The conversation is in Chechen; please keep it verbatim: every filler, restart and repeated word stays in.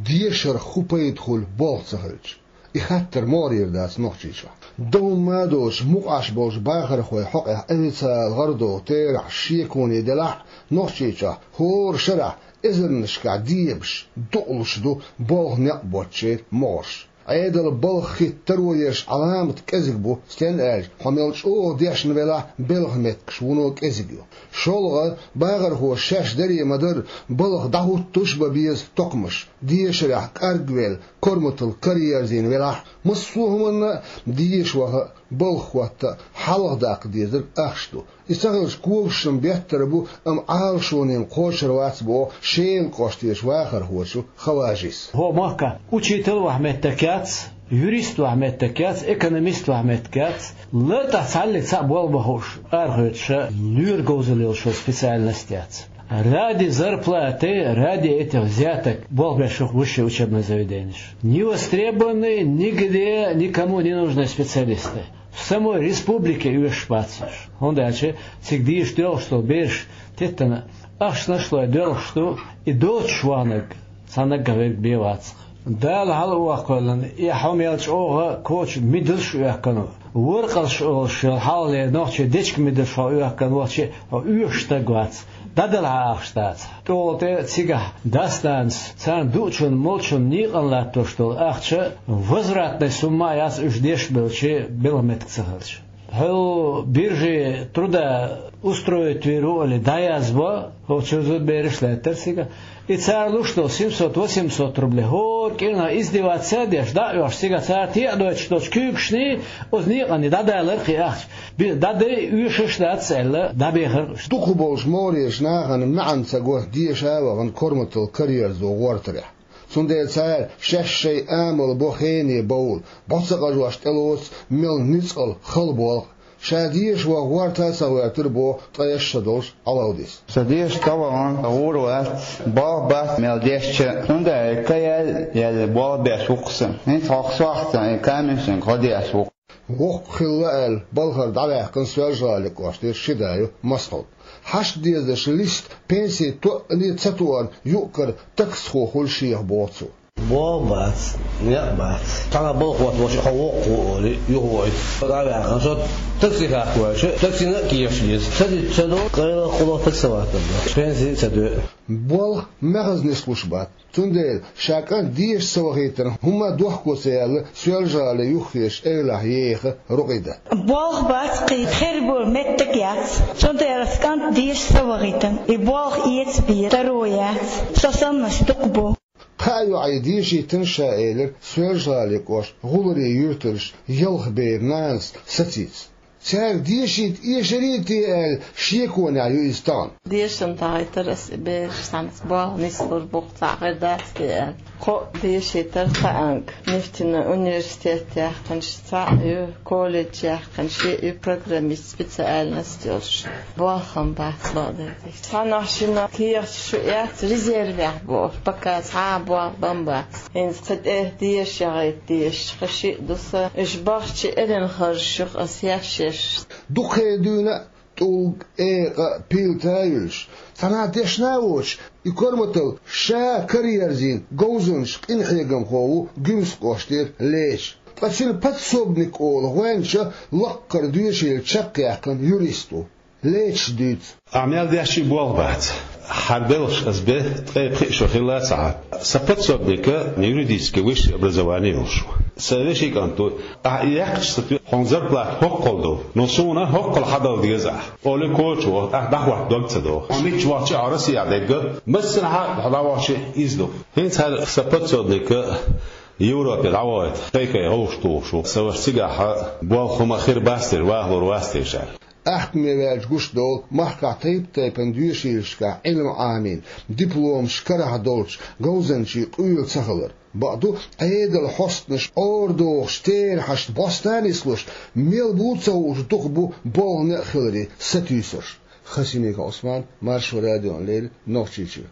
Дешарх хӀун пайда хуьлу болх ца хилча? И хаттар могӀарера дац Нохчийчохь. Дан хӀумма а доцуш, мукъаш болчу бахархойн хьокъехь официалан гӀарадолу терахьаш, шеконе делахь а, Нохчийчохь хӀора шарахь эзарнашкахь дебаш, дукъалуш ду болх некъ боцучеран могӀарш. Ӏедалан балха хӀитта таро ерш Ӏаламат кӀезиг бу, стенна аьлча, хьо мел чӀогӀа дешна велахь а, белхан меттигаш вуно кӀезиг ю. ШолгӀа, бахархоша шаьш даре ма-дарра, балха дӀахӀуттуш а бан беза токхамаш, дешарехь кӀаргвелла, корматалла караерзийна велахь а, массо а хӀуманна а, деша ваха а, балха хӀотта а хьалхадаккха дезарг ахча ду. И ца хилча, когашна беттар бу, амма Ӏалашонна кхочур вац, боху Шелан кӀоштарчу вахархочо Хаважис. ХӀокху махкахь учитель вахьа меттиг яц, юрист вахьа меттиг яц, экономист вахьа меттиг яц. ЛартӀехь цхьаллиг цхьаъ болх бан хууш арахоьцуш, лоьран говзалла йолуш йолу специальность яц. Ради зарплаты, ради этих взяток болх беш ю высшие учебные заведения. Не востребованные, нигде, никому не нужные специалисты. В самой республике оьшуш бац уьш. ХӀунда аьлча цига деша доьлхуш долу бераш теттана ахчанаш а лой доьлхуш ду, и доцуш ваханарг цхьа наггахь верг бен вац-кх. Дала хьала а ваккхавеллина, и хьо мел чӀогӀа коча мидалш а оьхкина, воркъалш олуш йолу хьалхалера нохчийн дечка мидалш хьо оьхкина вахча, хьо оьшуш стаг вац. ДӀадала хьан ахча дацахь. ТӀехула тӀе цигахь дас-нанас царна дуучунна, молчунна некъана латтош долу ахча возвратная сумма а яц, уьш деш а белча, белхан меттиг ца хилча. Хьо биржи труда устроить вийр ву олий дӀаязбо, хӀокху чу зудбераш а лаьттара цигахь. И цара луш долу семьсот-восемьсот рублей, хӀора кӀирнах издеваться а деш, дӀа а оьхуш, цигахь цара тӀе а дойтуш долчу куьйгашний, оцу некъаний дӀадалар кхин ахча. Би-, дӀадай, оьшуш а дац аьлла, дӀабехар уьш. Дукхахболчу могӀарерчу нахана маьӀна ца го деша а вахана корматалла караерзо гӀортарехь. Цундела цара шаьш шайн амал бо хене бовла, бӀо ца къажош тӀелоцу мел ницкъала хала болх. Ша деша ваха гӀорта а ца гӀоьртира, боху ткъе ши шо долуш Ӏалавдис. Сан деша ца вахана гӀур вац, болх бац мел дешча, цундела каял яьлла болх беш ву-кх сан. ХӀинца хьо сохьцан и камешанга хьо деш ву-кх. Воккха хилла аьлла, балхара дӀаваьккхина Соьлжа-ГӀалин кӀоштара ши да ю Масхьуд. Хьашт дезачу листа пенси тоъале а ца тоьарна юкъ-кара таксхо хуьлу шех, боху цо. Болх бац, некъ бац. Цхьана балхо волчу хьо воккха ву олий, юхавойту. ДӀаваьккхина со такси хьакхаваьлча, таксина а кехаш деза. Ца дитта ца до, къайлаха кхуло таксовать дара. Пенси а ца доьу. Болх мехаза нислуш бац. Цундела ша кӀант деша ца вахийтарна хӀумма а дохко ца яьлла, Соьлжа-ГӀалин юххерчу эвлахь Еха Рукъидат. Болх бац кхин, хир болу меттиг яц. Цундела ас кӀант деша ца вахийтарна, и болх эца беза, таро яц. Со саннарш дукха бу. Кхаа йоӀе дешийтина ша, элира Соьлжа-ГӀалин кӀоштан гӀуллакхийн юьртарша ялх беран нанас Сацица. Цаьрга дешийта эшарий те аьлла, шеконехь ю иза тахана. Дешна дахийтар ас и бераш, цхьаьнца болх нислур бу-кх, цхьаъ хир дац те аьлла. Кхоъ дешийтар, кхаанга нефтяной университет яьккхинчу цхьаъ ю, колледж яьккхина шиъ ю, программист специальность йолуш. Болх-м бац, бакъдерг. Цхьаннах шиннах кехаташ ю, эц резервехь боху, пока цхьа а болх бан бац. ХӀинца кхин тӀе деша яхийта дезаш кхин шиъ ду сан. Уьш бахча элина харжаш ю-кх ас еш-еш. Дукха хенахь дуьйна а, тӀулг, экъа а, пилта а юьллуш, цхьанхьа дешна а воцуш, и корматалла ша караерзийна говзанча къинхьегамхо ву Гуьмсан кӀоштара Леча. Ткъа цуьнан подсобник олу гӀоьнча лаккхара доьшийла чекхъяьккхина юрист ву. Лечас дуьйцу. Ахь мел дешча а болх бац. ХӀара белхаш ас бен ткъе пхиъ шо хилла а ца Ӏа. Сан подсобника юридически высшее образование йолуш ву. Сан вешин кӀант ву. Ахь и яьккхича, сан тоьа хьуна зарплата хӀоккхул ду, но суна хӀоккхул хьадала деза ахь, олий кочо, ахь дӀахӀотта дог ца доху. Хьо мичча вахча а, хьо Россехь дерг а, массанхьа а хьо дӀавахча а иза ду. ХӀинца хӀара сан подсобника Европе дӀавахийта, кхайкхай гӀовш тухуш ву. Сан ваша цигахь болх, хӀума хир бац дера, вахалур вац дера ша. Ахкаме ваьлча гуш долу махкахь тайп-тайпана доьшийлашкахь Ӏилма Ӏамийна, дипломаш карахь долчу говзанчийн къуьйла ца хилар. Бакъду, Ӏедалан хьостанаш ора дохуш, терахьашна бӀоста а нислуш, мел бу ца хууш, дукха бу болх, некъ хиларе сатуьйсурш. Хасимиков Ӏусман, Маршо радиона леррина, Нохчийчуьра.